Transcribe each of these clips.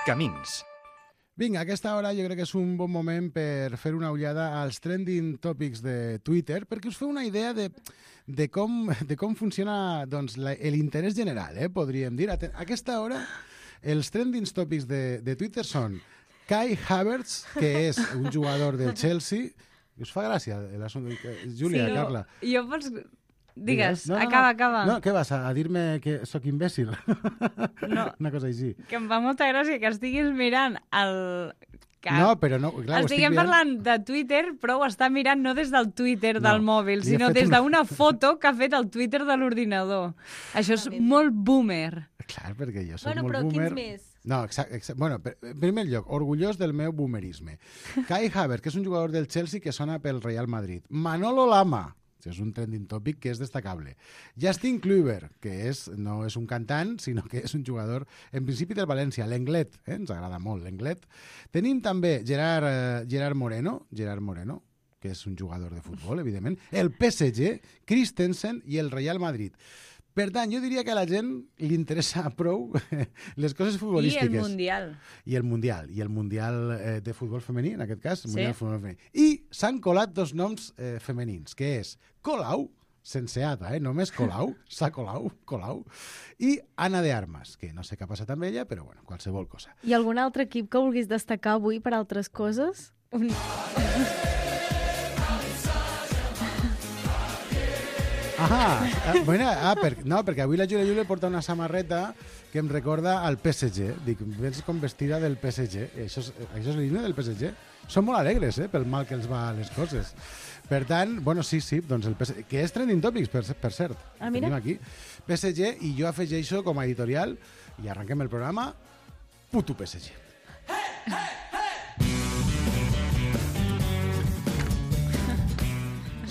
Camins. Vinga, a aquesta hora jo crec que és un bon moment per fer una ullada als trending topics de Twitter, perquè us feu una idea de com funciona doncs, l'interès general, podríem dir. A aquesta hora, els trending topics de Twitter són Kai Havertz, que és un jugador del Chelsea. Us fa gràcia l'assumpte, Júlia, sí, Carla? Jo pots... Digues, no, acaba. No, què vas, a dir-me que sóc imbècil? No. Una cosa així. Que em fa molta gràcia que estiguis mirant el... No, però no, clar, estiguem parlant de Twitter, però ho està mirant no des del Twitter del mòbil, sinó des d'una foto que ha fet el Twitter de l'ordinador. Això és molt boomer. Clar, perquè jo soc molt boomer. Bueno, però quins més? No, exacte. Bueno, en primer lloc, orgullós del meu boomerisme. Kai Havertz, que és un jugador del Chelsea que sona pel Real Madrid. Manolo Lama, és un trending topic que és destacable. Justin Kluivert, que no és un cantant, sinó que és un jugador, en principi del València, l'Englet, ens agrada molt l'Englet. Tenim també Gerard Moreno, que és un jugador de futbol, evidentment, el PSG, Christensen i el Real Madrid. Per tant, jo diria que a la gent li interessa prou les coses futbolístiques. I el Mundial. I el Mundial de futbol femení, en aquest cas. Sí. Mundial de futbol femení. I s'han colat dos noms femenins, que és Colau, sense ata, només Colau, s'ha Colau, i Ana de Armas, que no sé què ha passat amb ella, però bueno, qualsevol cosa. I algun altre equip que vulguis destacar avui per altres coses? Perquè avui la Júlia porta una samarreta que em recorda al PSG. Dic, vens com vestida del PSG. Això és l'himne del PSG? Són molt alegres, pel mal que els va a les coses. Per tant, bueno, sí, doncs el PSG, que és trending topics, per cert. Mira. Tenim aquí. PSG, i jo afegeixo com a editorial, i arrenquem el programa, puto PSG.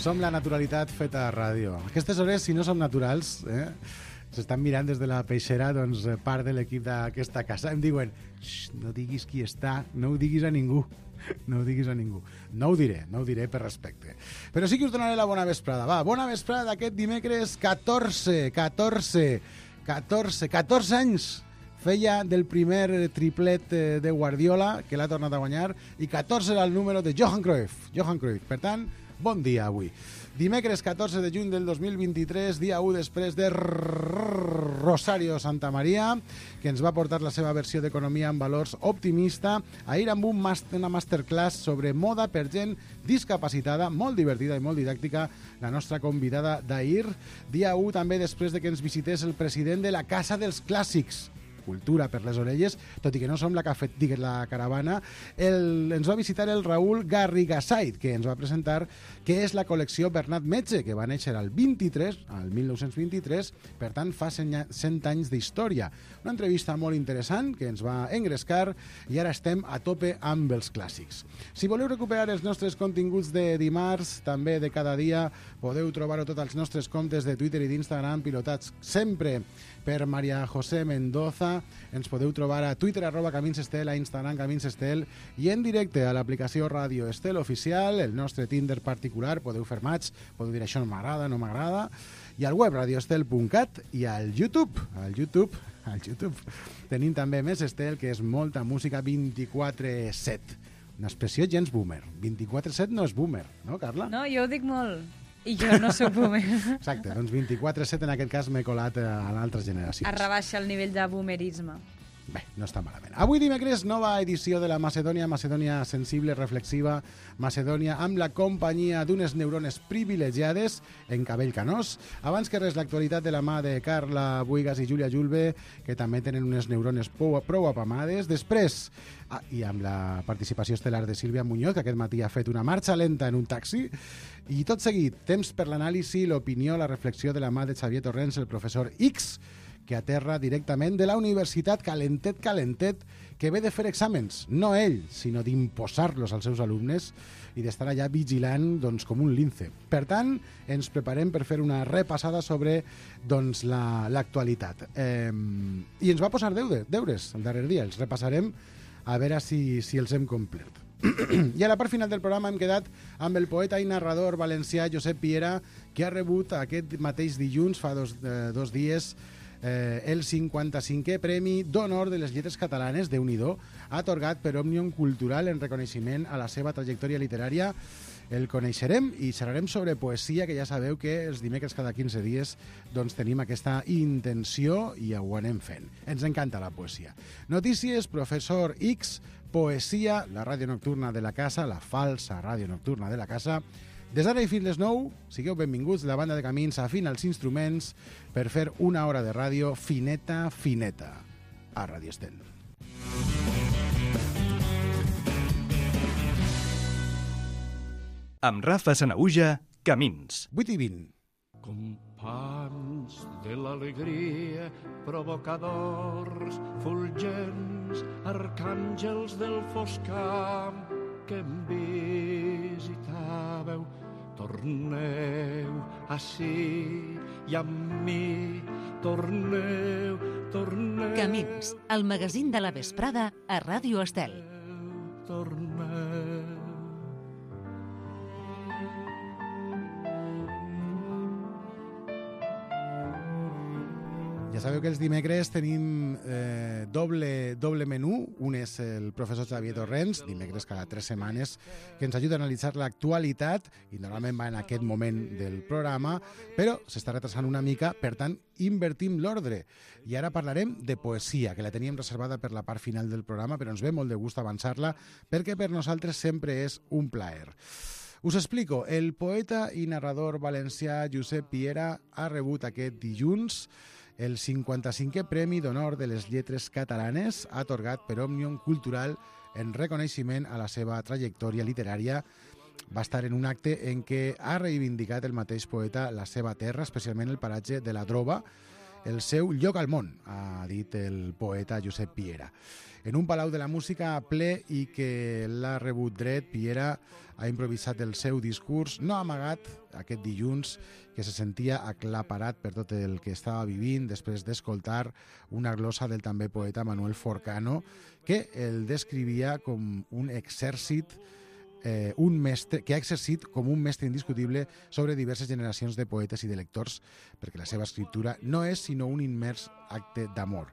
Som la naturalitat feta a ràdio. A aquestes hores, si no som naturals, s'estan mirant des de la peixera, doncs part de l'equip d'aquesta casa. Em diuen, no diguis qui està, no ho diguis a ningú. No ho diguis a ningú. No ho diré per respecte. Però sí que us donaré la bona vesprada. Va, bona vesprada d'aquest dimecres 14 anys feia del primer triplet de Guardiola, que l'ha tornat a guanyar, i 14 era el número de Johan Cruyff. Per tant, bon dia avui. Dimecres 14 de juny del 2023, dia 1 després de Rosario Santamaria, que ens va portar la seva versió d'Economia amb valors optimista, ahir amb una masterclass sobre moda per gent discapacitada, molt divertida i molt didàctica, la nostra convidada d'ahir. Dia 1 també després de que ens visités el president de la Casa dels Clàssics, cultura per les orelles, tot i que no som la caravana, ens va visitar el Raül Garrigasait, que ens va presentar què és la col·lecció Bernat Metge, que va néixer al 1923, per tant fa 100 anys d'història. Una entrevista molt interessant que ens va engrescar i ara estem a tope amb els clàssics. Si voleu recuperar els nostres continguts de dimarts, també de cada dia, podeu trobar-ho tots als nostres comptes de Twitter i d'Instagram, pilotats sempre per Maria José Mendoza. Ens podeu trobar a Twitter @CaminsEstel, a Instagram CaminsEstel i en directe a l'aplicació Ràdio Estel Oficial, el nostre Tinder particular. Podeu fer match, podeu dir això no m'agrada, no m'agrada, i al web radioestel.cat i al YouTube. Al YouTube tenim també Més Estel, que és molta música 24/7. Una expressió gens boomer. 24/7 no és boomer, no, Carla? No, jo ho dic molt. I jo no soc boomer. Exacte, doncs 24/7 en aquest cas m'he colat a l'altres generacions. Es rebaixa el nivell de boomerisme. Bé, no està malament. Avui dimecres, nova edició de la Macedònia sensible, reflexiva, Macedònia amb la companyia d'unes neurones privilegiades en cabell canós. Abans que res, l'actualitat de la mà de Carla Buigas i Júlia Julve, que també tenen unes neurones prou apamades. Després, i amb la participació estel·lar de Sílvia Muñoz, que aquest matí ha fet una marxa lenta en un taxi. I tot seguit, temps per l'anàlisi, l'opinió, la reflexió de la mà de Xavier Torrents, el professor X, que aterra directament de la universitat calentet, que ve de fer exàmens, no ell, sinó d'imposar-los als seus alumnes i d'estar allà vigilant doncs, com un lince. Per tant, ens preparem per fer una repassada sobre doncs, l'actualitat. I ens va posar deures el darrer dia, els repassarem a veure si els hem complert. I a la part final del programa hem quedat amb el poeta i narrador valencià Josep Piera, que ha rebut aquest mateix dilluns, fa dos dies, el 55è Premi d'Honor de les Lletres Catalanes, Déu-n'hi-do, atorgat per Òmnium Cultural en reconeixement a la seva trajectòria literària. El coneixerem i xerrarem sobre poesia, que ja sabeu que els dimecres cada 15 dies doncs, tenim aquesta intenció i ho anem fent. Ens encanta la poesia. Notícies, Professor X, poesia, la ràdio nocturna de la casa, la falsa ràdio nocturna de la casa. Des d'ara i fins les 9, sigueu benvinguts la banda de Camins afina els instruments per fer una hora de ràdio fineta, fineta, a Ràdio Estel. Amb Rafa Sanaüja, Camins. 8:20. Companys de l'alegria, provocadors, fulgents, arcàngels del fosc camp que em visitàveu, torneu ací i amb mi, torneu. Camins, el magazín de la vesprada a Ràdio Estel. Torneu. Ja sabeu que els dimecres tenim doble menú. Un és el professor Xavier Torrents, dimecres cada 3 setmanes, que ens ajuda a analitzar l'actualitat i normalment va en aquest moment del programa, però s'està retrasant una mica, per tant, invertim l'ordre. I ara parlarem de poesia, que la teníem reservada per la part final del programa, però ens ve molt de gust avançar-la, perquè per nosaltres sempre és un plaer. Us explico. El poeta i narrador valencià Josep Piera ha rebut aquest dilluns el 55è Premi d'Honor de les Lletres Catalanes, atorgat per Òmnium Cultural en reconeixement a la seva trajectòria literària. Va estar en un acte en què ha reivindicat el mateix poeta la seva terra, especialment el paratge de la Droba, el seu lloc al món, ha dit el poeta Josep Piera. En un palau de la música ple i que l'ha rebut dret, Piera ha improvisat el seu discurs, no amagat aquest dilluns, que se sentia aclaparat per tot el que estava vivint després d'escoltar una glosa del també poeta Manuel Forcano, que el descrivia com un exèrcit, un mestre que ha exercit com un mestre indiscutible sobre diverses generacions de poetes i de lectors, perquè la seva escriptura no és sinó un immers acte d'amor.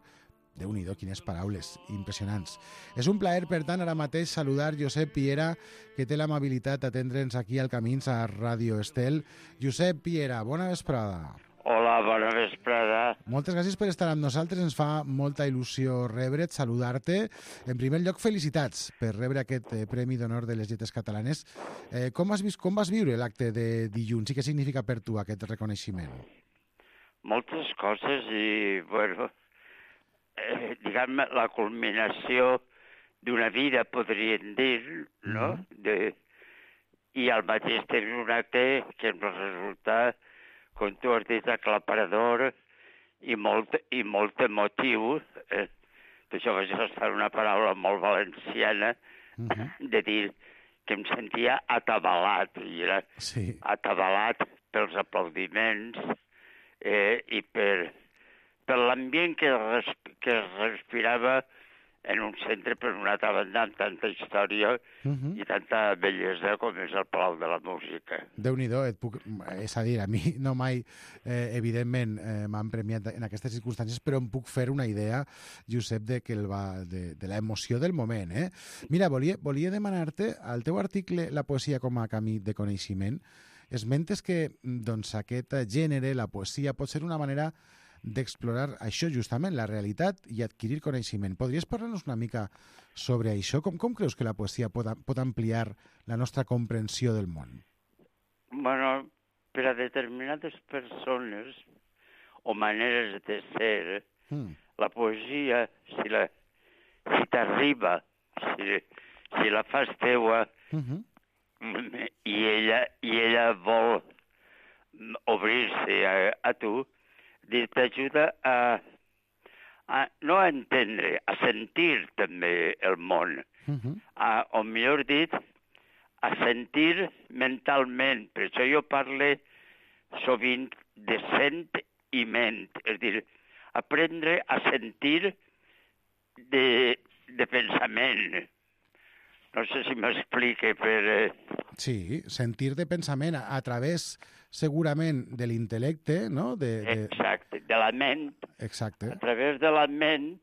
Déu-n'hi-do, quines paraules impressionants. És un plaer, per tant, ara mateix saludar Josep Piera, que té l'amabilitat d'atendre'ns aquí al Camins a Ràdio Estel. Josep Piera, bona vesprada. Hola, bona vesprada. Moltes gràcies per estar amb nosaltres. Ens fa molta il·lusió rebre't, saludar-te. En primer lloc, felicitats per rebre aquest Premi d'Honor de les Lletres Catalanes. Com vas viure l'acte de dilluns i què significa per tu aquest reconeixement? Moltes coses i, bueno, diguem-ne, la culminació d'una vida, podríem dir, no? I al mateix temps un acte que em va resultar, com tu has dit, aclaparador i molt emotiu. Això vaig gastar una paraula molt valenciana, de dir que em sentia atabalat, i era atabalat pels aplaudiments i per l'ambient que es respirava en un centre, per una altra banda, amb tanta història i tanta bellesa com és el Palau de la Música. Déu-n'hi-do, és a dir, a mi no mai, evidentment, m'han premiat en aquestes circumstàncies, però em puc fer una idea, Josep, de l'emoció del moment. Mira, volia demanar-te, al teu article La poesia com a camí de coneixement, esmentes que doncs, aquest gènere, la poesia, pot ser una manera d'explorar això justament, la realitat i adquirir coneixement. Podries parlar-nos una mica sobre això? Com creus que la poesia pot ampliar la nostra comprensió del món? Bueno, per a determinades persones o maneres de ser, la poesia, si t'arriba, si la fas teua, i ella vol obrir-se a tu, t'ajuda no a entendre, a sentir també el món. O millor dit, a sentir mentalment. Per això jo parlo sovint de sent i ment. És a dir, aprendre a sentir de pensament. No sé si m'explique per... Sí, sentir de pensament a través, segurament, de l'intel·lecte, no? Exacte, de la ment, Exacte. a través de la ment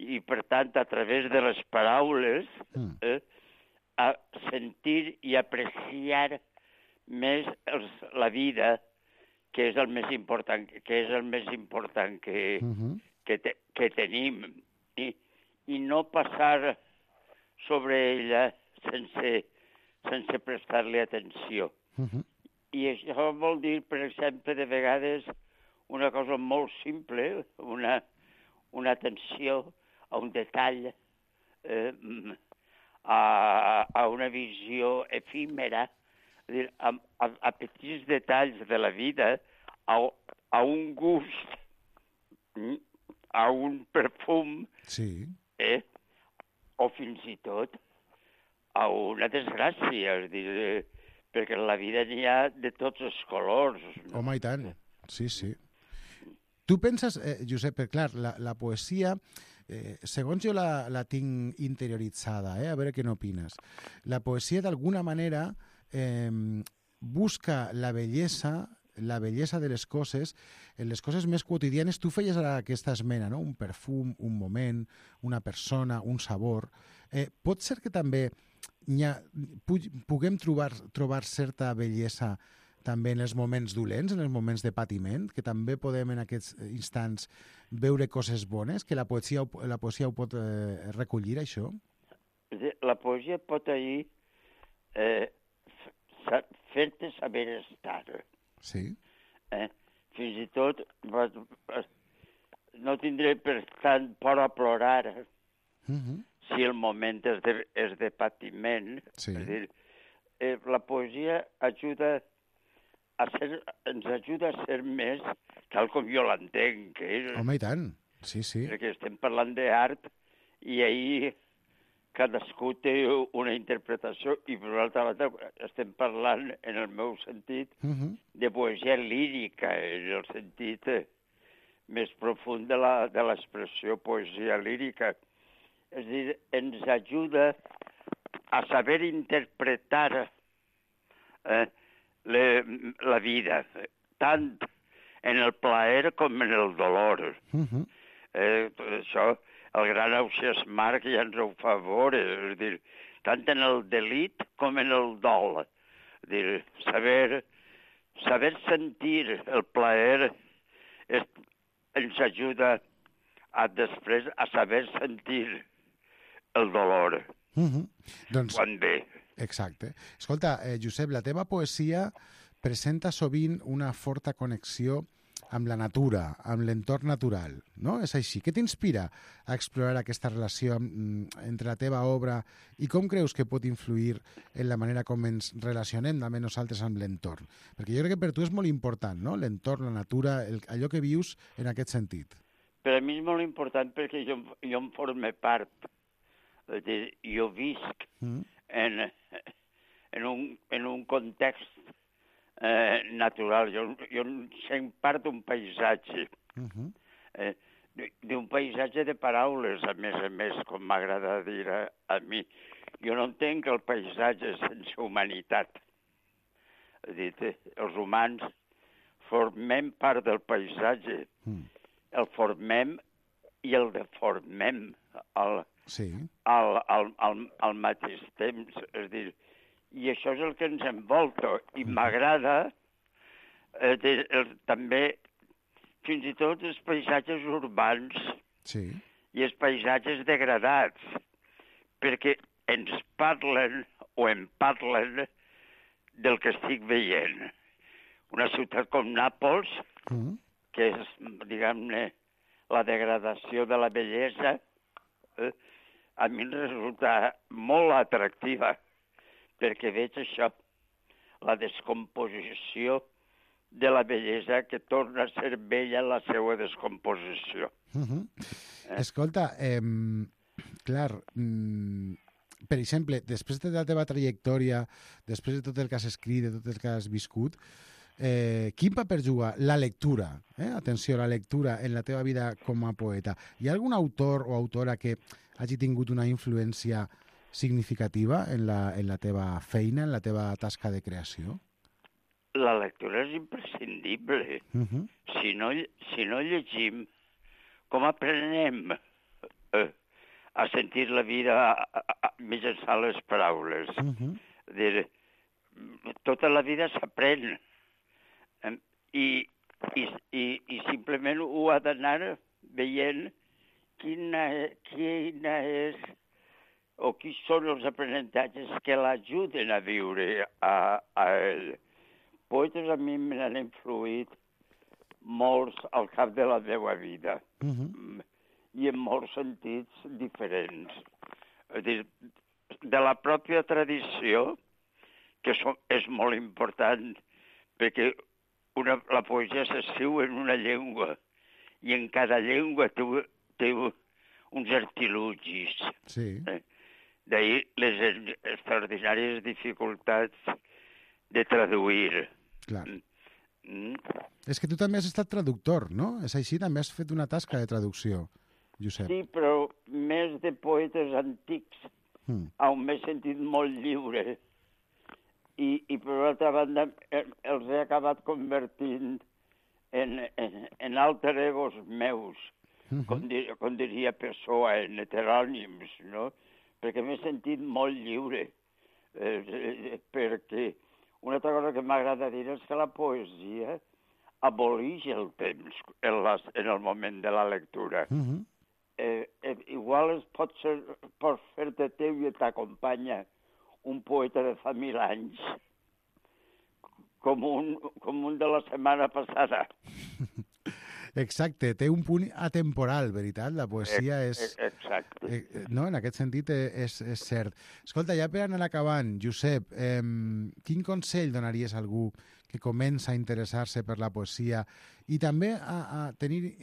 i, per tant, a través de les paraules, a sentir i apreciar més la vida, que és el més important, que tenim, i no passar sobre ella sense prestar-li atenció. I això vol dir, per exemple, de vegades una cosa molt simple, una atenció a un detall, a una visió efímera, a petits detalls de la vida, a un gust, a un perfum, Sí. o fins i tot a una desgràcia, és dir, perquè en la vida n'hi ha de tots els colors. No? Home, i tant. Sí, sí. Tu penses, Josep, clar, la poesia, segons jo la tinc interioritzada, a veure què n'opines, la poesia d'alguna manera busca la bellesa de les coses, en les coses més quotidianes. Tu feies ara aquesta esmena, no? Un perfum, un moment, una persona, un sabor. Pot ser que també puguem trobar certa bellesa també en els moments dolents, en els moments de patiment, que també podem en aquests instants veure coses bones, que la poesia ho pot recollir, això? La poesia pot fer-te saber estar. Sí. Fins i tot no tindré per tant por a plorar si el moment és de patiment. Sí. És dir, la poesia ens ajuda a ser més tal com jo l'entenc. Home, i tant. Sí, sí. Perquè estem parlant d'art i ahir cadascú té una interpretació i, per l'altra banda, estem parlant, en el meu sentit, de poesia lírica, en el sentit més profund de l'expressió poesia lírica. És a dir, ens ajuda a saber interpretar la vida, tant en el plaer com en el dolor. Això, el gran Ausiàs Marc ja ens ho fa veure, és dir, tant en el delit com en el dol. És dir, saber sentir el plaer ens ajuda després a saber sentir el dolor. Doncs, quan ve. Exacte. Escolta, Josep, la teva poesia presenta sovint una forta connexió amb la natura, amb l'entorn natural, no? És així. Què t'inspira a explorar aquesta relació entre la teva obra i com creus que pot influir en la manera com ens relacionem també nosaltres amb l'entorn? Perquè jo crec que per tu és molt important, no? L'entorn, la natura, allò que vius en aquest sentit. Per a mi és molt important perquè jo en forme part. És dir, jo visc en un context natural. Jo sent part d'un paisatge, d'un paisatge de paraules, a més, com m'agrada dir a mi. Jo no entenc el paisatge sense humanitat. És dir, els humans formem part del paisatge, el formem i el deformem al mateix temps. És dir, i això és el que ens envolta. I m'agrada també fins i tot els paisatges urbans i els paisatges degradats, perquè ens parlen o em parlen del que estic veient. Una ciutat com Nàpols, que és, diguem-ne, la degradació de la bellesa, a mi em resulta molt atractiva, perquè veig això, la descomposició de la bellesa que torna a ser bella en la seva descomposició. Escolta, clar, per exemple, després de la teva trajectòria, després de tot el que has escrit, de tot el que has viscut, quin paper juga la lectura? Atenció, la lectura en la teva vida com a poeta. Hi ha algun autor o autora que hagi tingut una influència significativa en la teva feina, en la teva tasca de creació? La lectura és imprescindible. Si no llegim, com aprenem a sentir la vida mitjançant les paraules? Tota la vida s'aprèn. I simplement ho ha d'anar veient quina és o quins són els aprenentatges que l'ajuden a viure a ell. Poetes a mi me n'han influït molts al cap de la meva vida i en molts sentits diferents. És dir, de la pròpia tradició, que és molt important, perquè la poesia s'escriu en una llengua i en cada llengua té uns artilugis. Sí. D'ahir les extraordinàries dificultats de traduir. Clar. És que tu també has estat traductor, no? És així? També has fet una tasca de traducció, Josep. Sí, però més de poetes antics, on m'he sentit molt lliure. I per l'altra banda, els he acabat convertint en alter egos meus, com diria Pessoa, en heterònims, no? Perquè m'he sentit molt lliure. Perquè una altra cosa que m'agrada dir és que la poesia aboleix el temps en el moment de la lectura. Igual pot fer-te teu i t'acompanya un poeta de fa 1000 anys, com un de la setmana passada. Exacte, té un punt atemporal, veritat? La poesia és... Exacte. No, en aquest sentit és cert. Escolta, ja per anar acabant, Josep, quin consell donaries a algú que comença a interessar-se per la poesia i també a tenir...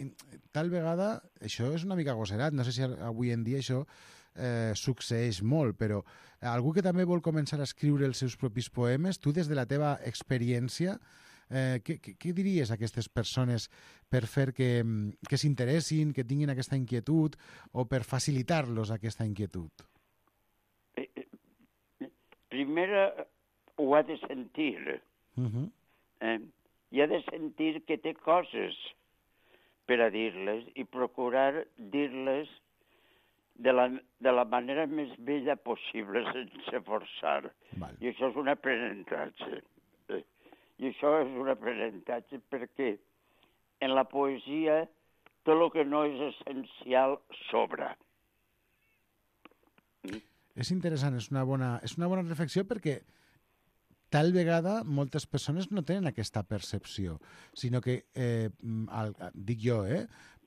Tal vegada, això és una mica agosarat, no sé si avui en dia això succeeix molt, però algú que també vol començar a escriure els seus propis poemes, tu des de la teva experiència, què diries a aquestes persones per fer que s'interessin, que tinguin aquesta inquietud o per facilitar-los aquesta inquietud? Primer ho ha de sentir. I ha de sentir que té coses per a dir-les i procurar dir-les de la manera més bella possible sense forçar. I això és un aprenentatge. I això és un aprenentatge perquè en la poesia tot el que no és essencial sobra. És interessant, és una bona reflexió perquè tal vegada moltes persones no tenen aquesta percepció, sinó que, dic jo,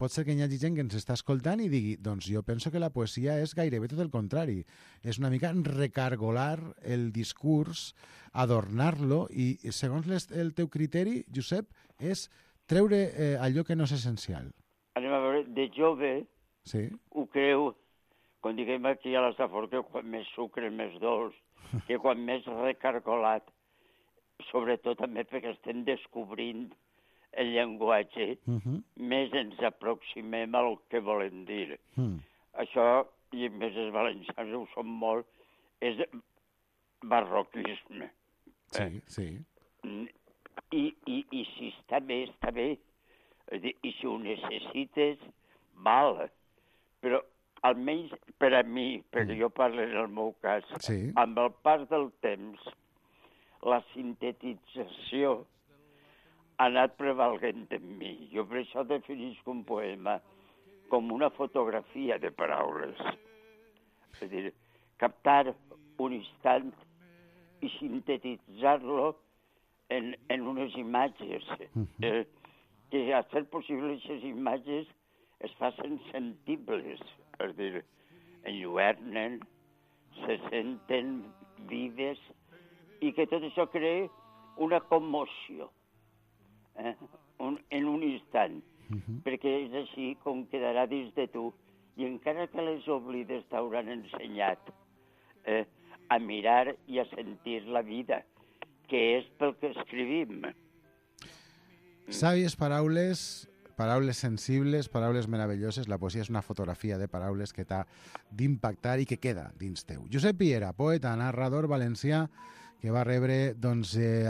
pot ser que hi hagi gent que ens està escoltant i digui, doncs jo penso que la poesia és gairebé tot el contrari. És una mica recargolar el discurs, adornar-lo i, segons el teu criteri, Josep, és treure allò que no és essencial. Anem a veure, de jove ho creu, com diguem aquí a l'Estafort, que quan més sucre, més dolç, que quan més recargolat, sobretot també perquè estem descobrint el llenguatge, més ens aproximem al que volem dir. Això, i més els valencians ho són molt, és barroquisme. Sí. I si està bé, està bé. I si ho necessites, val. Però almenys per a mi, perquè jo parlo en el meu cas, amb el pas del temps, la sintetització ha anat prevalent en mi. Jo per això definisc un poema com una fotografia de paraules. És a dir, captar un instant i sintetitzar-lo en unes imatges. Que a ser possible aquestes imatges es facin sentibles. És a dir, enlluernen, se senten vives i que tot això crea una commoció en un instant, perquè és així com quedarà dins de tu i encara que les oblides t'hauran ensenyat a mirar i a sentir la vida, que és pel que escrivim. Sàvies paraules paraules sensibles, paraules meravelloses. La poesia és una fotografia de paraules que t'ha d'impactar i que queda dins teu. Josep Piera, poeta, narrador valencià, que va rebre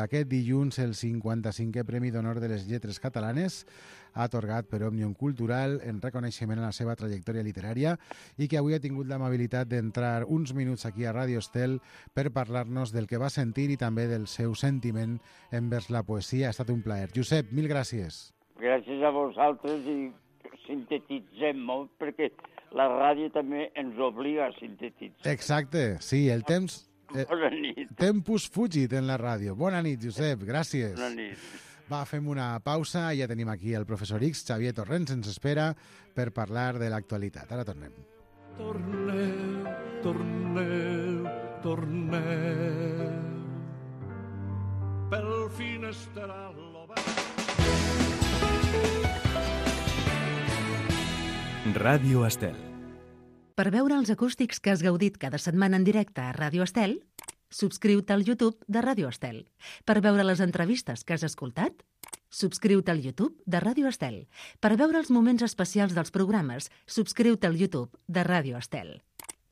aquest dilluns el 55è Premi d'Honor de les Lletres Catalanes, atorgat per Òmnium Cultural en reconeixement a la seva trajectòria literària i que avui ha tingut l'amabilitat d'entrar uns minuts aquí a Ràdio Estel per parlar-nos del que va sentir i també del seu sentiment envers la poesia. Ha estat un plaer. Josep, mil gràcies. Gràcies a vosaltres i sintetitzem molt perquè la ràdio també ens obliga a sintetitzar. Exacte, sí, el temps... Bona nit. Tempus fugit en la ràdio. Bona nit, Josep, gràcies. Bona nit. Va, fem una pausa i ja tenim aquí el professor X, Xavier Torrents, ens espera per parlar de l'actualitat. Ara tornem. Torneu, torneu, torneu. Pel finestral obert. Ràdio Estel. Per veure els acústics que has gaudit cada setmana en directe a Ràdio Estel, subscriu-te al YouTube de Ràdio Estel. Per veure les entrevistes que has escoltat, subscriu-te al YouTube de Ràdio Estel. Per veure els moments especials dels programes, subscriu-te al YouTube de Ràdio Estel.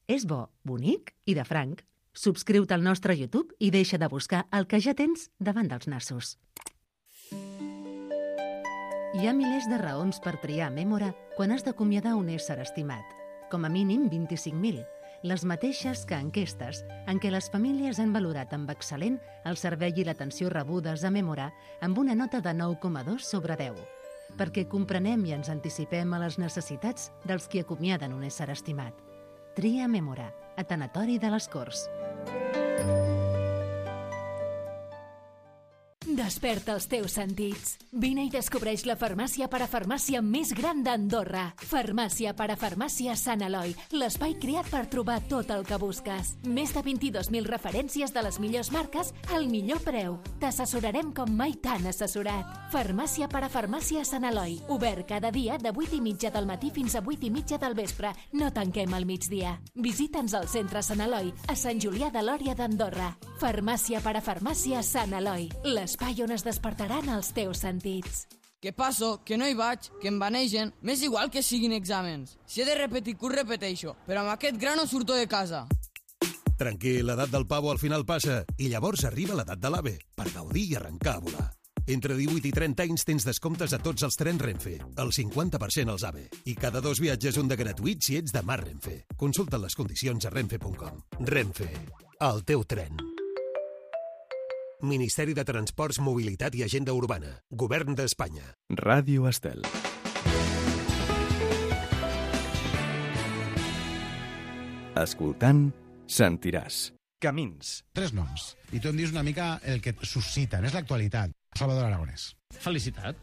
És bo, bonic i de franc. Subscriu-te al nostre YouTube i deixa de buscar el que ja tens davant dels nassos. Hi ha milers de raons per triar Mémora quan has d'acomiadar un ésser estimat. Com a mínim 25.000, les mateixes que enquestes en què les famílies han valorat amb excel·lent el servei i l'atenció rebudes a Mémora amb una nota de 9,2 sobre 10, perquè comprenem i ens anticipem a les necessitats dels qui acomiaden un ésser estimat. Tria Mémora, a Tanatori de les Corts. Desperta els teus sentits. Vine i descobreix la farmàcia parafarmàcia més gran d'Andorra. Farmàcia parafarmàcia Sant Eloi, l'espai creat per trobar tot el que busques. Més de 22.000 referències de les millors marques al millor preu. T'assessorarem com mai t'han assessorat. Farmàcia parafarmàcia Sant Eloi, obert cada dia de 8:30 del matí fins a 8:30 del vespre. No tanquem al migdia. Visita'ns al centre Sant Eloi, a Sant Julià de Lòria d'Andorra. Farmàcia parafarmàcia Sant Eloi, l'espai on es despertaran els teus sentits. Què passo? Que no hi vaig, que em vanegen. M'és igual que siguin exàmens. Si he de repetir curs, repeteixo. Però amb aquest gra no surto de casa. Tranquil, l'edat del pavo al final passa i llavors arriba l'edat de l'AVE per gaudir i arrencar a volar. Entre 18 i 30 anys tens descomptes a tots els trens Renfe, el 50% als AVE. I cada 2 viatges un de gratuït si ets de Mar Renfe. Consulta les condicions a renfe.com. Renfe, el teu tren. Ministeri de Transports, Mobilitat i Agenda Urbana. Govern d'Espanya. Ràdio Estel. Escoltant, sentiràs. Camins. 3 noms. I tu em dius una mica el que et susciten. És l'actualitat. Salvador Aragonès. Felicitat.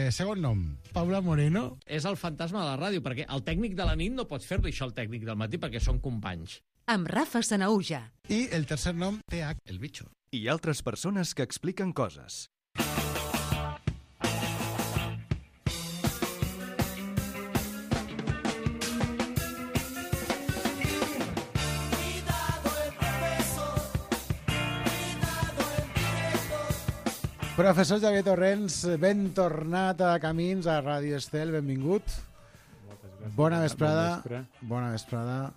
Segon nom. Paula Moreno. És el fantasma de la ràdio, perquè el tècnic de la nit no pots fer-li això al tècnic del matí perquè són companys. Amb Rafa Sanaúja. I el tercer nom, TH, el bitxo. I altres persones que expliquen coses. Professor Xavier Torrents, ben tornat a Camins, a Ràdio Estel, benvingut. Bona vesprada. Bona vesprada.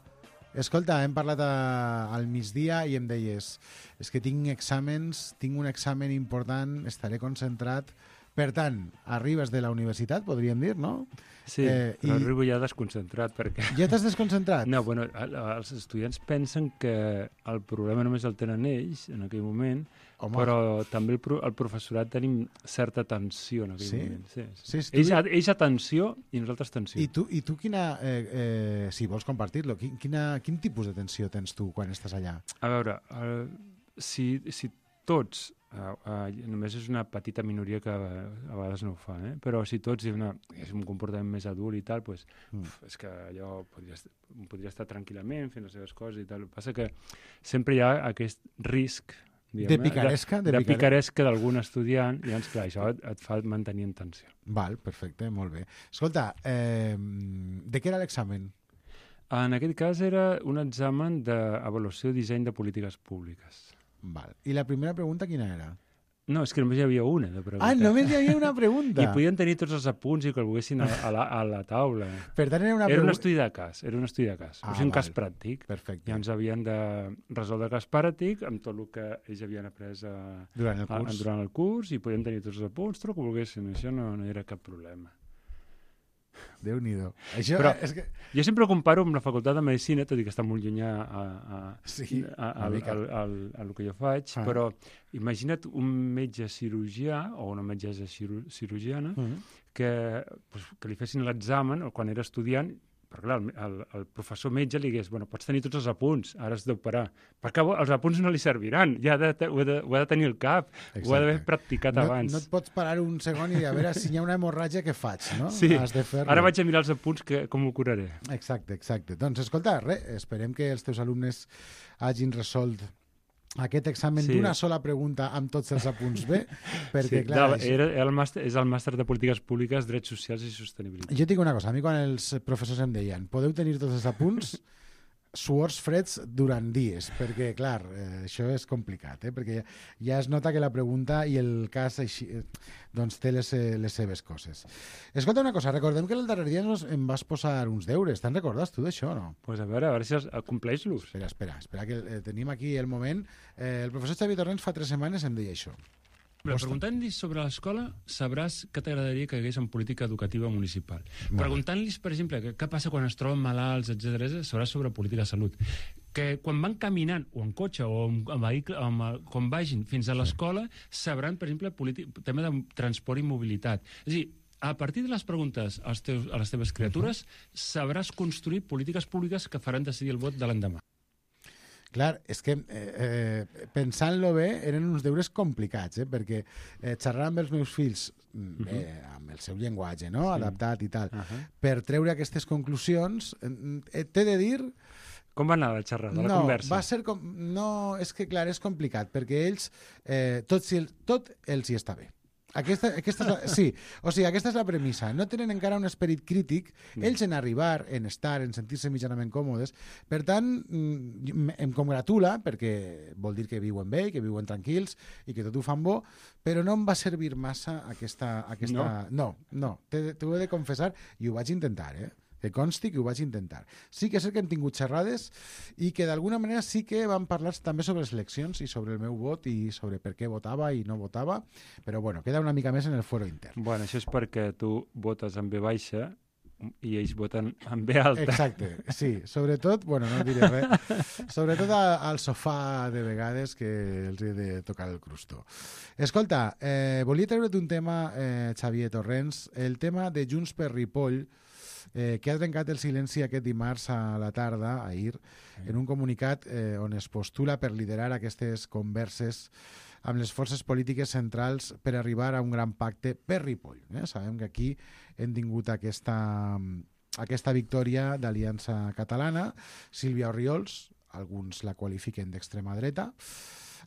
Escolta, hem parlat al migdia i em deies és que tinc exàmens, tinc un examen important, estaré concentrat. Per tant, arribes de la universitat, podríem dir, no? Sí, però arribo ja desconcentrat perquè... Ja t'has desconcentrat? No, bueno, els estudiants pensen que el problema només el tenen ells en aquell moment, home, però també el professorat tenim certa tensió en aquell moment. Sí. Ells atenció i nosaltres tensió. I tu quina, si vols compartir-lo, quin tipus de tensió tens tu quan estàs allà? A veure, si tots, només és una petita minoria que a vegades no ho fa, però si tots és un comportament més adult i tal, doncs, és que allò podria estar tranquil·lament fent les seves coses i tal. El que passa que sempre hi ha aquest risc de picaresca d'algun estudiant i llavors, clar, això et fa mantenir en tensió. Val, perfecte, molt bé. Escolta, de què era l'examen? En aquest cas era un examen d'avaluació i disseny de polítiques públiques. Val. I la primera pregunta quina era? No, és que només hi havia una de pregunta. Ah, només hi havia una pregunta. I podien tenir tots els apunts i que el volguessin a la taula. Per tant, era un estudi de cas, un cas pràctic. Perfecte. I ens havien de resoldre el cas pràctic amb tot el que ells havien après durant el curs i podien tenir tots els apunts, tot el que volguessin. Això no era cap problema. Déu-n'hi-do. Però jo sempre ho comparo amb la facultat de Medicina, tot i que està molt llunyà al que jo faig, però imagina't un metge cirurgià o una metgessa cirurgiana que li fessin l'examen quan era estudiant, però clar, el professor metge li digués, bueno, pots tenir tots els apunts, ara has d'operar. Perquè els apunts no li serviran, ja ho ha de tenir al cap, ho ha d'haver practicat abans. No et pots parar un segon i a veure si hi ha una hemorràgia, què faig, no? Sí, has de fer-lo. Ara vaig a mirar els apunts, com ho curaré. Exacte. Doncs escolta, esperem que els teus alumnes hagin resolt aquest examen d'una sola pregunta amb tots els apunts bé, perquè clar... És el màster de Polítiques Públiques, Drets Socials i Sostenibilitat. Jo et dic una cosa, a mi quan els professors em deien podeu tenir tots els apunts, suors freds durant dies, perquè clar, això és complicat, perquè ja es nota que la pregunta i el cas així, doncs té les seves coses. Escolta una cosa, recordem que el darrer dia em vas posar uns deures, te'n recordes tu d'això o no? Pues a veure si compleix-los. Espera, que tenim aquí el moment. El professor Xavier Torrents fa 3 setmanes em deia això. Però preguntant-los sobre l'escola sabràs què t'agradaria que hagués en política educativa municipal. Preguntant-los, per exemple, què passa quan es troben malalts, etc., sabràs sobre política de salut. Que quan van caminant, o en cotxe, o en vehicle, quan vagin fins a l'escola, sabran, per exemple, tema de transport i mobilitat. És a dir, a partir de les preguntes a les teves criatures, sabràs construir polítiques públiques que faran decidir el vot de l'endemà. Clar, és que pensant-lo bé eren uns deures complicats, perquè xerrar amb els meus fills amb el seu llenguatge, no? Adaptat i tal, per treure aquestes conclusions, t'he de dir... Com va anar la xerrada, la conversa? Va ser no, és que clar, és complicat, perquè ells, tot els hi està bé. Aquesta és la premissa. No tenen encara un esperit crític, ells en arribar, en estar, en sentir-se mitjanament còmodes. Per tant, em congratula, perquè vol dir que viuen bé, que viuen tranquils i que tot ho fan bo, però no em va servir massa aquesta... No, t'ho he de confessar i ho vaig intentar, que consti que ho vaig intentar. Sí que és cert que hem tingut xerrades i que d'alguna manera sí que vam parlar també sobre les eleccions i sobre el meu vot i sobre per què votava i no votava, però bueno, queda una mica més en el fuero intern. Bueno, això és perquè tu votes en B baixa i ells voten en B alta. Exacte, sí. Sobretot, bueno, no diré res, sobretot al sofà de vegades que els he de tocar el crustó. Escolta, volia treure't un tema, Xavier Torrents, el tema de Junts per Ripoll, que ha trencat el silenci aquest dimarts a la tarda, ahir, en un comunicat on es postula per liderar aquestes converses amb les forces polítiques centrals per arribar a un gran pacte per Ripoll. Sabem que aquí hem tingut aquesta victòria d'Aliança Catalana, Sílvia Orriols, alguns la qualifiquen d'extrema dreta,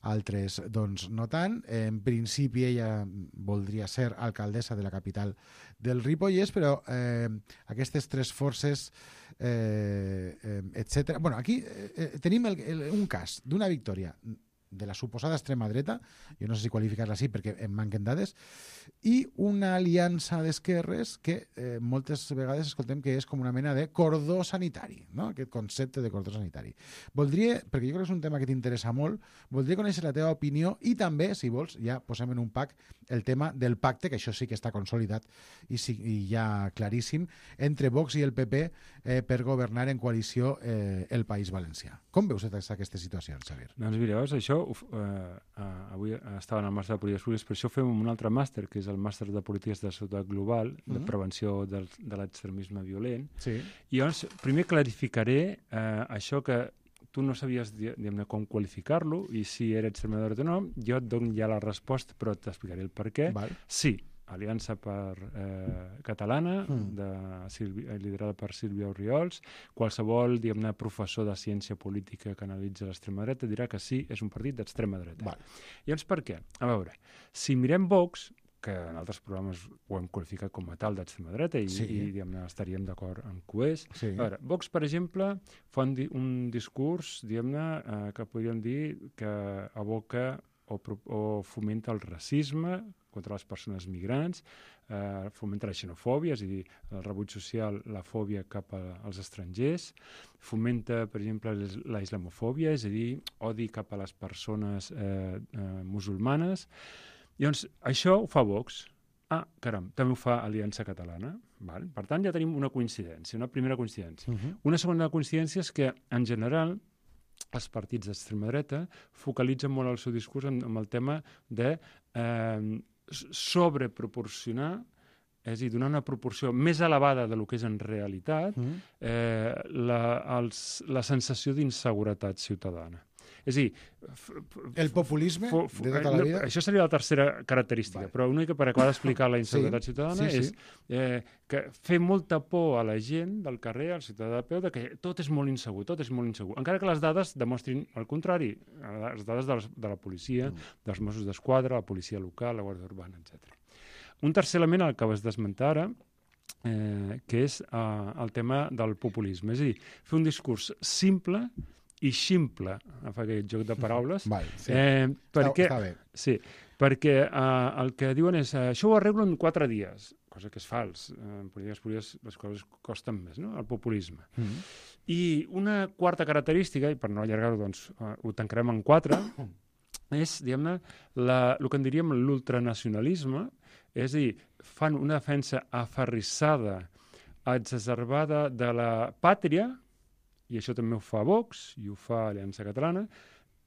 altres doncs no tant. En principi ella voldria ser alcaldessa de la capital del Ripollès, però aquestes 3 forces, etc. Bueno, aquí tenim un cas d'una victòria de la suposada extrema dreta, jo no sé si qualificar-la així perquè em manquen dades, i una aliança d'esquerres que moltes vegades escoltem que és com una mena de cordó sanitari, no? Aquest concepte de cordó sanitari. Voldria, perquè jo crec que és un tema que t'interessa molt, voldria conèixer la teva opinió i també, si vols, ja posem en un pack el tema del pacte, que això sí que està consolidat i ja claríssim, entre Vox i el PP per governar en coalició el País Valencià. Com veus aquesta situació, Xavier? Doncs mira, això avui estava en el màster de polítiques públiques, per això fem un altre màster, que és el màster de polítiques de seguretat global, de prevenció de l'extremisme violent. I llavors, primer clarificaré això que tu no sabies com qualificar-lo i si era extrema dreta o no. Jo et dono ja la resposta, però t'explicaré el per què. Sí, Aliança Catalana, liderada per Sílvia Orriols. Qualsevol, professor de ciència política que analitza l'extrema dreta dirà que sí, és un partit d'extrema dreta. Llavors, per què? A veure, si mirem Vox, que en altres programes ho hem qualificat com a tal d'extrema dreta i estaríem d'acord en que ho és. A veure, Vox, per exemple, fa un discurs, que podríem dir que aboca o fomenta el racisme contra les persones migrants, fomenta la xenofòbia, és a dir, el rebuig social, la fòbia cap als estrangers, fomenta, per exemple, la islamofòbia, és a dir, odi cap a les persones musulmanes. Llavors, això ho fa Vox. Caram, també ho fa Aliança Catalana. Val? Per tant, ja tenim una coincidència, una primera coincidència. Una segona coincidència és que, en general, els partits d'extrema dreta focalitzen molt el seu discurs amb el tema de sobreproporcionar, és a dir, donar una proporció més elevada del que és en realitat la sensació d'inseguretat ciutadana. És a dir... El populisme de tota la vida? Això seria la tercera característica, però una mica per acabar d'explicar la inseguretat ciutadana és que fer molta por a la gent del carrer, al ciutadà de peu, que tot és molt insegur, tot és molt insegur. Encara que les dades demostrin el contrari, les dades de la policia, dels Mossos d'Esquadra, la policia local, la Guàrdia Urbana, etc. Un tercer element al que vas desmentar ara, que és el tema del populisme. És a dir, fer un discurs simple i ximple, fa aquest joc de paraules, està bé. Sí, perquè el que diuen és això ho arreglo en 4 dies, cosa que és fals. En polítiques públiques les coses costen més, no? El populisme. I una quarta característica, i per no allargar-ho, doncs, ho tancarem en 4, és, diguem-ne, el que en diríem l'ultranacionalisme, és a dir, fan una defensa aferrissada, exacerbada de la pàtria, i això també ho fa Vox i ho fa Aliança Catalana,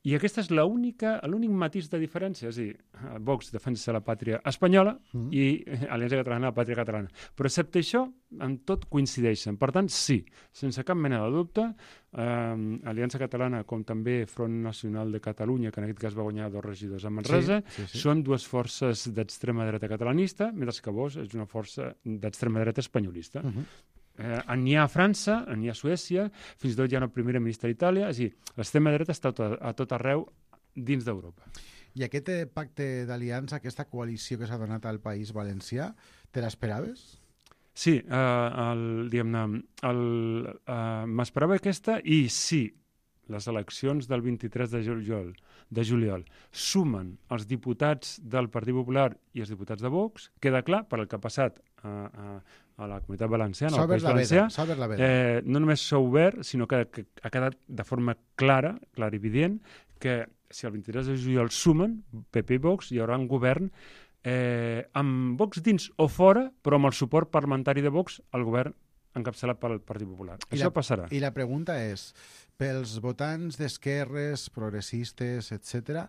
i aquesta és l'únic matís de diferència. És a dir, Vox defensa la pàtria espanyola i Aliança Catalana la pàtria catalana. Però excepte això, en tot coincideixen. Per tant, sí, sense cap mena de dubte, Aliança Catalana, com també Front Nacional de Catalunya, que en aquest cas va guanyar 2 regidors a Manresa, són 2 forces d'extrema dreta catalanista, mentre que Vox és una força d'extrema dreta espanyolista. N'hi ha a França, n'hi ha a Suècia, fins i tot hi ha una primera ministra d'Itàlia, és a dir, l'extrema dreta està a tot arreu dins d'Europa. I aquest pacte d'aliança, aquesta coalició que s'ha donat al País Valencià, te l'esperaves? Sí, m'esperava aquesta i sí, les eleccions del 23 de juliol sumen els diputats del Partit Popular i els diputats de Vox, queda clar per el que ha passat a la Comunitat Valenciana, al País Valencià, no només s'ha obert, sinó que ha quedat de forma clara, clarivident, que si el 23 de juliol sumen PP i Vox, hi haurà un govern amb Vox dins o fora, però amb el suport parlamentari de Vox al govern encapçalat pel Partit Popular. Això passarà. I la pregunta és, pels votants d'esquerres, progressistes, etc.,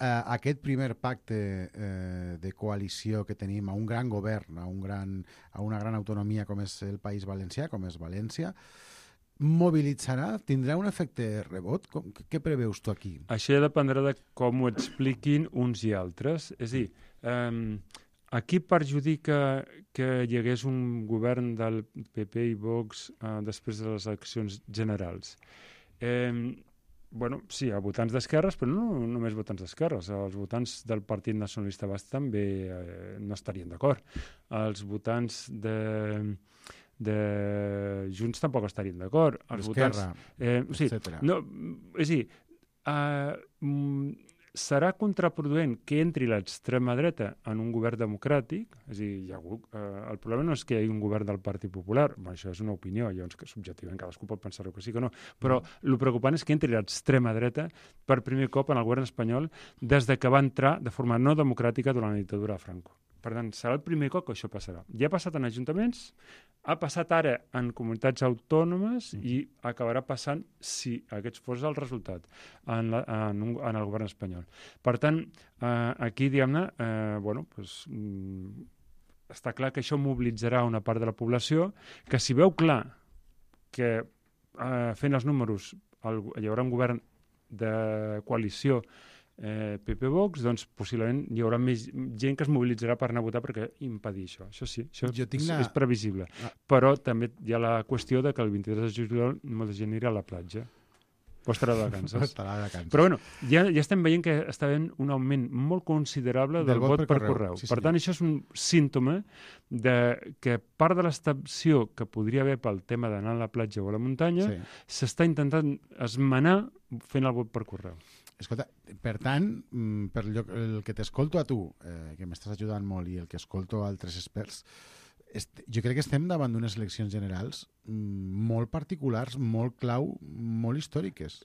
aquest primer pacte de coalició que tenim a un gran govern, a una gran autonomia com és el País Valencià, com és València, mobilitzarà? Tindrà un efecte rebot? Què preveus tu aquí? Això ja dependrà de com ho expliquin uns i altres. És a dir, aquí perjudica que hi hagués un govern del PP i Vox després de les eleccions generals. Bueno, sí, a votants d'esquerres, però no només votants d'esquerres. Els votants del Partit Nacionalista Basc també no estarien d'acord. Els votants de Junts tampoc estarien d'acord. D'Esquerra, etc. És a dir, serà contraproduent que entri l'extrema dreta en un govern democràtic, és a dir, el problema no és que hi hagi un govern del Partit Popular, això és una opinió, llavors que subjectivament cadascú pot pensar-ho que sí que no, però el preocupant és que entri l'extrema dreta per primer cop en el govern espanyol des de que va entrar de forma no democràtica durant la dictadura de Franco. Per tant, serà el primer cop que això passarà. Ja ha passat en ajuntaments, ha passat ara en comunitats autònomes i acabarà passant, si aquest fos el resultat, en el govern espanyol. Per tant, aquí, diguem-ne, està clar que això mobilitzarà una part de la població que si veu clar que fent els números hi haurà un govern de coalició PP-Vox, doncs possiblement hi haurà més gent que es mobilitzarà per anar a votar perquè impedir això. Això sí, això és previsible. Però també hi ha la qüestió de que el 23 de juliol molta gent anirà a la platja. O estarà de vacances. Però bueno, ja estem veient que està havent un augment molt considerable del vot per correu. Per tant, això és un símptoma de que part de l'extensió que podria haver pel tema d'anar a la platja o a la muntanya s'està intentant esmenar fent el vot per correu. Escolta, per tant, per el que t'escolto a tu, que m'estàs ajudant molt, i el que escolto a altres experts, jo crec que estem davant d'unes eleccions generals molt particulars, molt clau, molt històriques.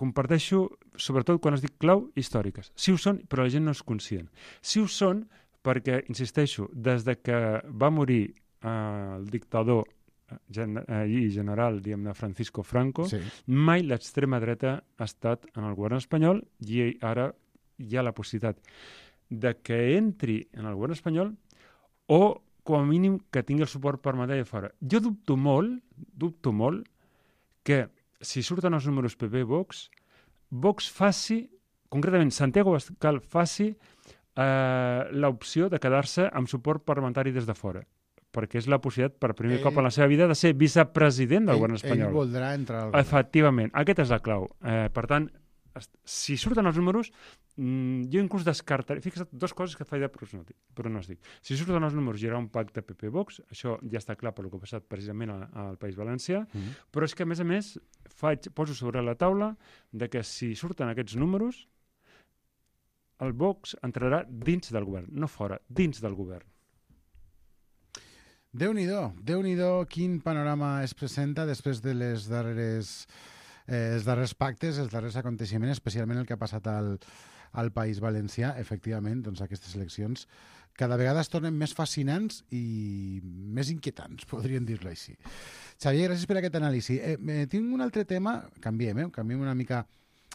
Comparteixo, sobretot quan es dic clau, històriques. Sí ho són, però la gent no és conscient. Sí ho són perquè, insisteixo, des de que va morir el dictador i general, diguem-ne, Francisco Franco, mai l'extrema dreta ha estat en el govern espanyol, i ara hi ha la possibilitat de que entri en el govern espanyol o, com a mínim, que tingui el suport parlamentari de fora. Jo dubto molt que, si surten els números PP-Vox, Vox faci, concretament Santiago Abascal faci l'opció de quedar-se amb suport parlamentari des de fora, perquè és la possibilitat, per primer cop en la seva vida, de ser vicepresident del govern espanyol. Ell voldrà entrar al govern. Efectivament, aquesta és la clau. Per tant, si surten els números, jo inclús descartaré... Fixa't, dues coses que et faig de pronòstic. Si surten els números, hi haurà un pacte PP-Vox, això ja està clar per el que ha passat precisament al País Valencià, però és que, a més, poso sobre la taula de que si surten aquests números, el Vox entrarà dins del govern, no fora, dins del govern. Déu-n'hi-do, quin panorama es presenta després de els darrers pactes, els darrers aconteixements, especialment el que ha passat al País Valencià. Efectivament, doncs aquestes eleccions cada vegada es tornen més fascinants i més inquietants, podríem dir-lo així. Xavier, gràcies per aquest anàlisi. Tinc un altre tema, canviem una mica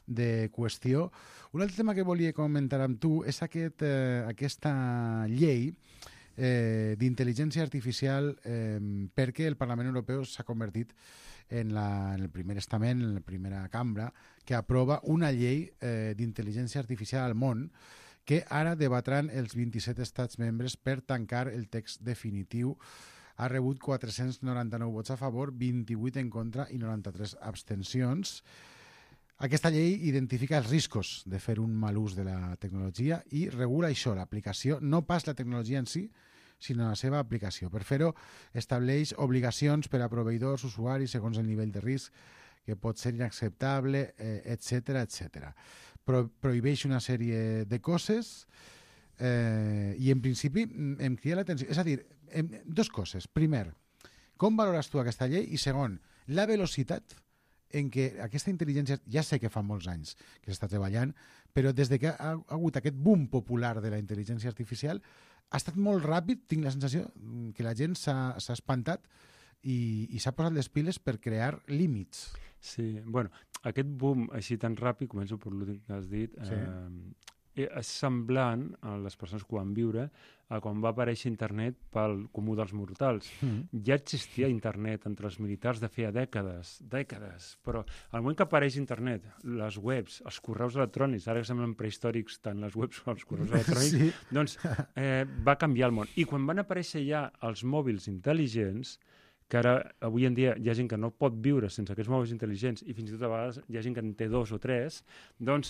de qüestió. Un altre tema que volia comentar amb tu és aquesta llei d'intel·ligència artificial, perquè el Parlament Europeu s'ha convertit en el primer estament, en la primera cambra, que aprova una llei d'intel·ligència artificial al món que ara debatran els 27 estats membres per tancar el text definitiu. Ha rebut 499 vots a favor, 28 en contra i 93 abstencions. Aquesta llei identifica els riscos de fer un mal ús de la tecnologia i regula això, l'aplicació, no pas la tecnologia en si, sinó la seva aplicació. Per fer-ho, estableix obligacions per a proveïdors, usuaris, segons el nivell de risc, que pot ser inacceptable, etc. Prohibeix una sèrie de coses i, en principi, em crida l'atenció. És a dir, dues coses. Primer, com valores tu aquesta llei? I segon, la velocitat en què aquesta intel·ligència, ja sé que fa molts anys que s'està treballant, però des que ha hagut aquest boom popular de la intel·ligència artificial, ha estat molt ràpid, tinc la sensació que la gent s'ha espantat i s'ha posat les piles per crear límits. Sí, bueno, aquest boom així tan ràpid, començo per l'últim que has dit, és semblant a les persones que ho van viure a quan va aparèixer internet pel comú dels mortals. Ja existia internet entre els militars de feia dècades, però al moment que apareix internet, les webs, els correus electrònics, ara que semblen prehistòrics tant les webs com els correus electrònics, doncs va canviar el món. I quan van aparèixer ja els mòbils intel·ligents, que ara, avui en dia, hi ha gent que no pot viure sense aquests mòbils intel·ligents i fins i tot a vegades hi ha gent que en té 2 o 3, doncs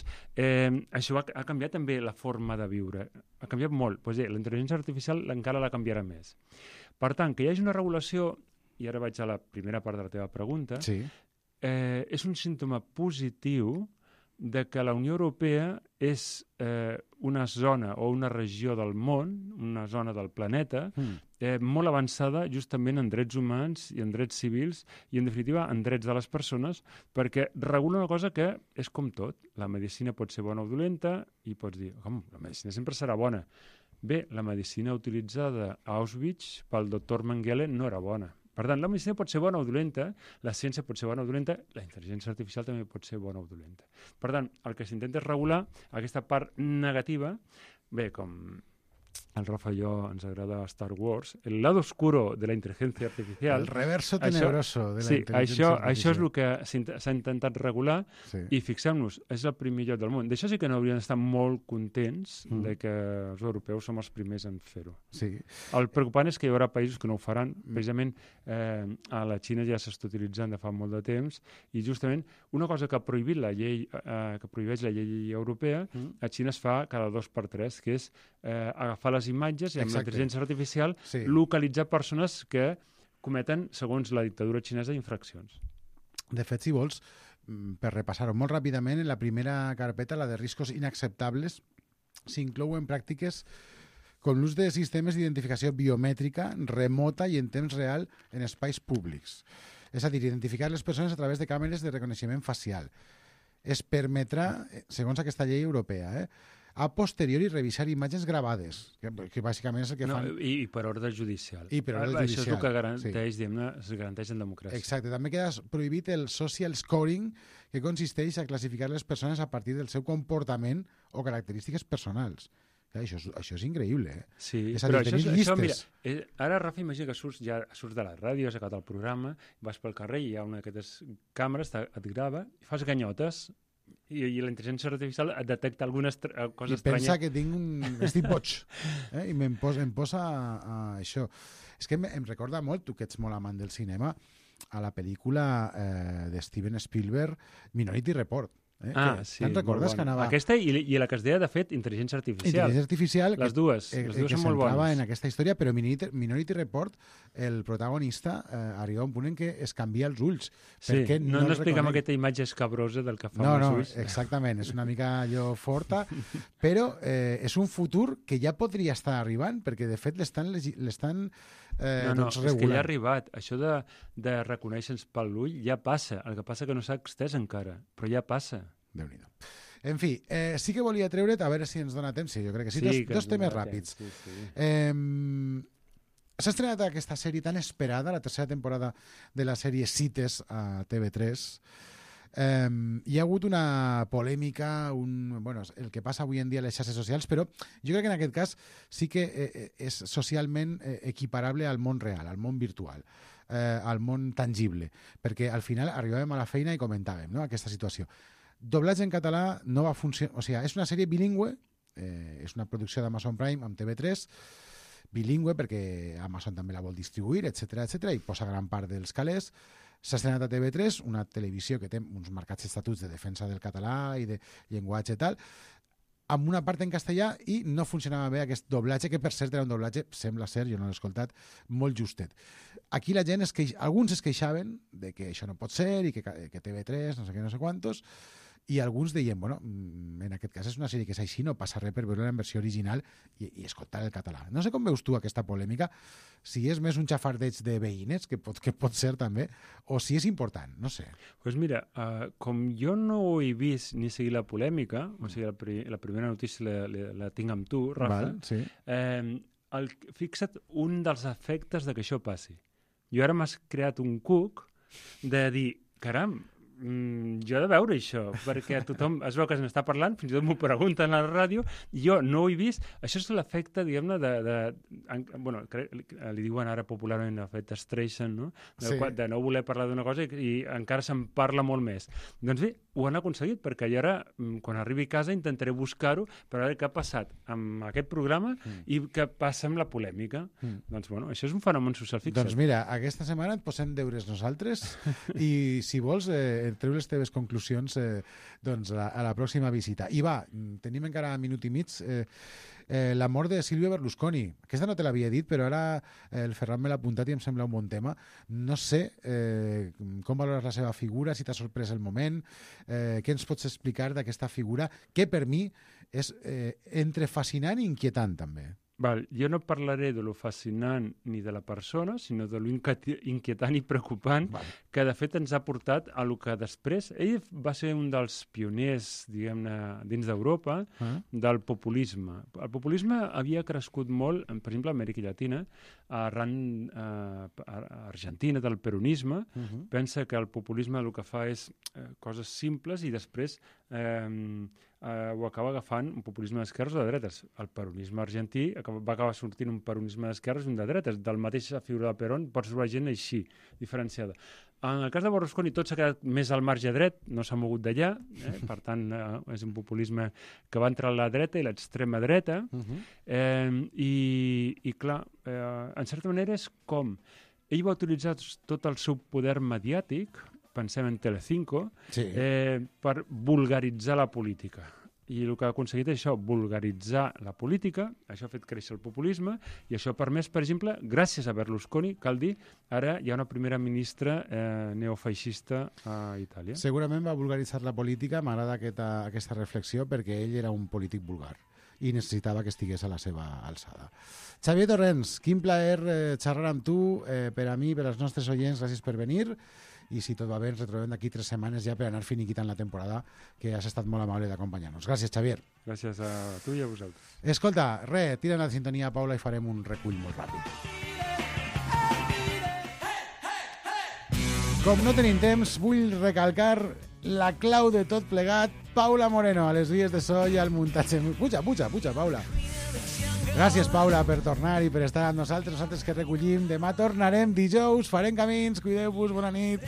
això ha canviat també la forma de viure. Ha canviat molt. Doncs la intel·ligència artificial encara la canviarà més. Per tant, que hi hagi una regulació, i ara vaig a la primera part de la teva pregunta, és un símptoma positiu de que la Unió Europea és una zona o una regió del món, una zona del planeta, molt avançada justament en drets humans i en drets civils i, en definitiva, en drets de les persones, perquè regula una cosa que és com tot. La medicina pot ser bona o dolenta i pots dir, com, la medicina sempre serà bona. Bé, la medicina utilitzada a Auschwitz pel doctor Mengele no era bona. Per tant, la medicina pot ser bona o dolenta, la ciència pot ser bona o dolenta, la intel·ligència artificial també pot ser bona o dolenta. Per tant, el que s'intenta és regular aquesta part negativa, bé, com al Rafa i jo ens agrada Star Wars, el lado oscuro de la intel·ligència artificial... El reverso tenebroso de la intel·ligència artificial. Això és el que s'ha intentat regular i fixem-nos, és el primer lloc del món. D'això sí que no haurien d'estar molt contents de que els europeus som els primers en fer-ho. El preocupant és que hi haurà països que no ho faran. Precisament a la Xina ja s'està utilitzant de fa molt de temps i justament una cosa que ha prohibit la llei, que prohibeix la llei europea, a Xina es fa cada 2 per 3, que és agafar les imatges i amb l'intel·ligència artificial localitzar persones que cometen, segons la dictadura xinesa, infraccions. De fet, si vols, per repassar-ho molt ràpidament, en la primera carpeta, la de riscos inacceptables, s'inclouen pràctiques com l'ús de sistemes d'identificació biomètrica remota i en temps real en espais públics. És a dir, identificar les persones a través de càmeres de reconeixement facial. Es permetrà, segons aquesta llei europea, a posteriori revisar imatges gravades, que bàsicament és el que fan... I per ordre judicial. I per ordre judicial. Això és el que garanteix, es garanteix en democràcia. Exacte. També queda prohibit el social scoring, que consisteix a classificar les persones a partir del seu comportament o característiques personals. Això és increïble, Sí, és a dir, tenir llistes. Mira, ara, Rafa, imagina que surts de la ràdio, has acabat el programa, vas pel carrer i hi ha una d'aquestes càmeres, et grava, i fas ganyotes, i la intel·ligència artificial et detecta algunes coses estranyes. I pensa que estic boig, i em posa a això. És que em recorda molt, tu que ets molt amant del cinema, a la pel·lícula de Steven Spielberg, Minority Report. Sí, te'n recordes que anava... Aquesta i la que es deia, de fet, intel·ligència artificial. Intel·ligència artificial, les dues són molt bones. En aquesta història, però Minority Report, el protagonista arriba a un punt en què es canvia els ulls. Sí, no expliquem aquesta imatge escabrosa del que fa amb els ulls. No, exactament, és una mica allò forta, però és un futur que ja podria estar arribant, perquè de fet l'estan regulant. És que ja ha arribat. Això de reconèixer-nos per l'ull ja passa. El que passa que no s'ha extès encara, però ja passa. Déu-n'hi-do. En fi, sí que volia treure't, a veure si ens dona temps. Sí, jo crec que sí. Dos temes ràpids. S'ha estrenat aquesta sèrie tan esperada, la tercera temporada de la sèrie Cites a TV3. Hi ha hagut una polèmica, el que passa avui en dia a les xarxes socials, però jo crec que en aquest cas sí que és socialment equiparable al món real, al món virtual, al món tangible, perquè al final arribàvem a la feina i comentàvem aquesta situació. Doblatge en català no va funcionar, o sigui, és una sèrie bilingüe, és una producció d'Amazon Prime amb TV3, bilingüe perquè Amazon també la vol distribuir, etc i posa gran part dels calés. S'ha estrenat a TV3, una televisió que té uns marcats estatuts de defensa del català i de llenguatge i tal, amb una part en castellà, i no funcionava bé aquest doblatge, que per cert era un doblatge, sembla ser, jo no l'he escoltat, molt justet. Aquí la gent alguns es queixaven de que això no pot ser i que TV3, no sé què, no sé quantos, i alguns deien, en aquest cas és una sèrie que és així, no passa res per veure-la en versió original i escoltar el català. No sé com veus tu aquesta polèmica, si és més un xafardeig de veïnes, que pot ser també, o si és important, no sé. Doncs mira, com jo no ho he vist ni seguir la polèmica, o sigui, la primera notícia la tinc amb tu, Rafa, sí. Fixa't un dels efectes de que això passi. Jo ara m'has creat un cuc de dir, caram, jo he de veure això, perquè tothom es veu que se n'està parlant, fins i tot m'ho pregunten a la ràdio, i jo no ho he vist. Això és l'efecte, diguem-ne, li diuen ara popularment l'efecte Streisand, no? De no voler parlar d'una cosa i encara se'n parla molt més. Doncs bé, ho han aconseguit, perquè jo ara, quan arribi a casa, intentaré buscar-ho per veure què ha passat amb aquest programa i què passa amb la polèmica. Doncs, això és un fenomen social fixat. Doncs mira, aquesta setmana et posem deures nosaltres i, si vols, treu les teves conclusions a la pròxima visita. I va, tenim encara un minut i mig, la mort de Silvio Berlusconi. Aquesta no te l'havia dit, però ara el Ferran me l'ha apuntat i em sembla un bon tema. No sé com valores la seva figura, si t'ha sorprès el moment, què ens pots explicar d'aquesta figura, que per mi és entre fascinant i inquietant també. Jo no parlaré de lo fascinant ni de la persona, sinó de lo inquietant i preocupant que de fet ens ha portat a lo que després... Ell va ser un dels pioners, diguem-ne, dins d'Europa, del populisme. El populisme havia crescut molt, per exemple, a Amèrica Llatina, arran Argentina, del peronisme. Pensa que el populisme el que fa és coses simples i després ho acaba agafant un populisme d'esquerres o de dretes. El peronisme argentí va acabar sortint un peronisme d'esquerres i un de dretes. Del mateix figura de Perón pots veure gent així, diferenciada. En el cas de Berlusconi tot s'ha quedat més al marge dret, no s'ha mogut d'allà, per tant és un populisme que va entrar a la dreta i l'extrema dreta, i clar, en certa manera és com ell va utilitzar tot el seu poder mediàtic, pensem en Telecinco, per vulgaritzar la política. I el que ha aconseguit és això, vulgaritzar la política, això ha fet créixer el populisme, i això ha permès, per exemple, gràcies a Berlusconi, cal dir, ara hi ha una primera ministra neofeixista a Itàlia. Segurament va vulgaritzar la política, m'agrada aquesta reflexió, perquè ell era un polític vulgar i necessitava que estigués a la seva alçada. Xavier Torrents, quin plaer xerrar amb tu, per a mi, per als nostres oients, gràcies per venir, i si tot va bé ens retrobem d'aquí 3 setmanes ja per anar finiquitant la temporada, que has estat molt amable d'acompanyar-nos. Gràcies, Xavier. Gràcies a tu i a vosaltres. Escolta, tira'n la sintonia, Paula, i farem un recull molt ràpid. Com no tenim temps, vull recalcar la clau de tot plegat, Paula Moreno, a les vies de so i al muntatge. Puja, Paula. Gràcies, Paula, per tornar i per estar amb nosaltres que recollim. Demà tornarem dijous, farem camins, cuideu-vos, bona nit.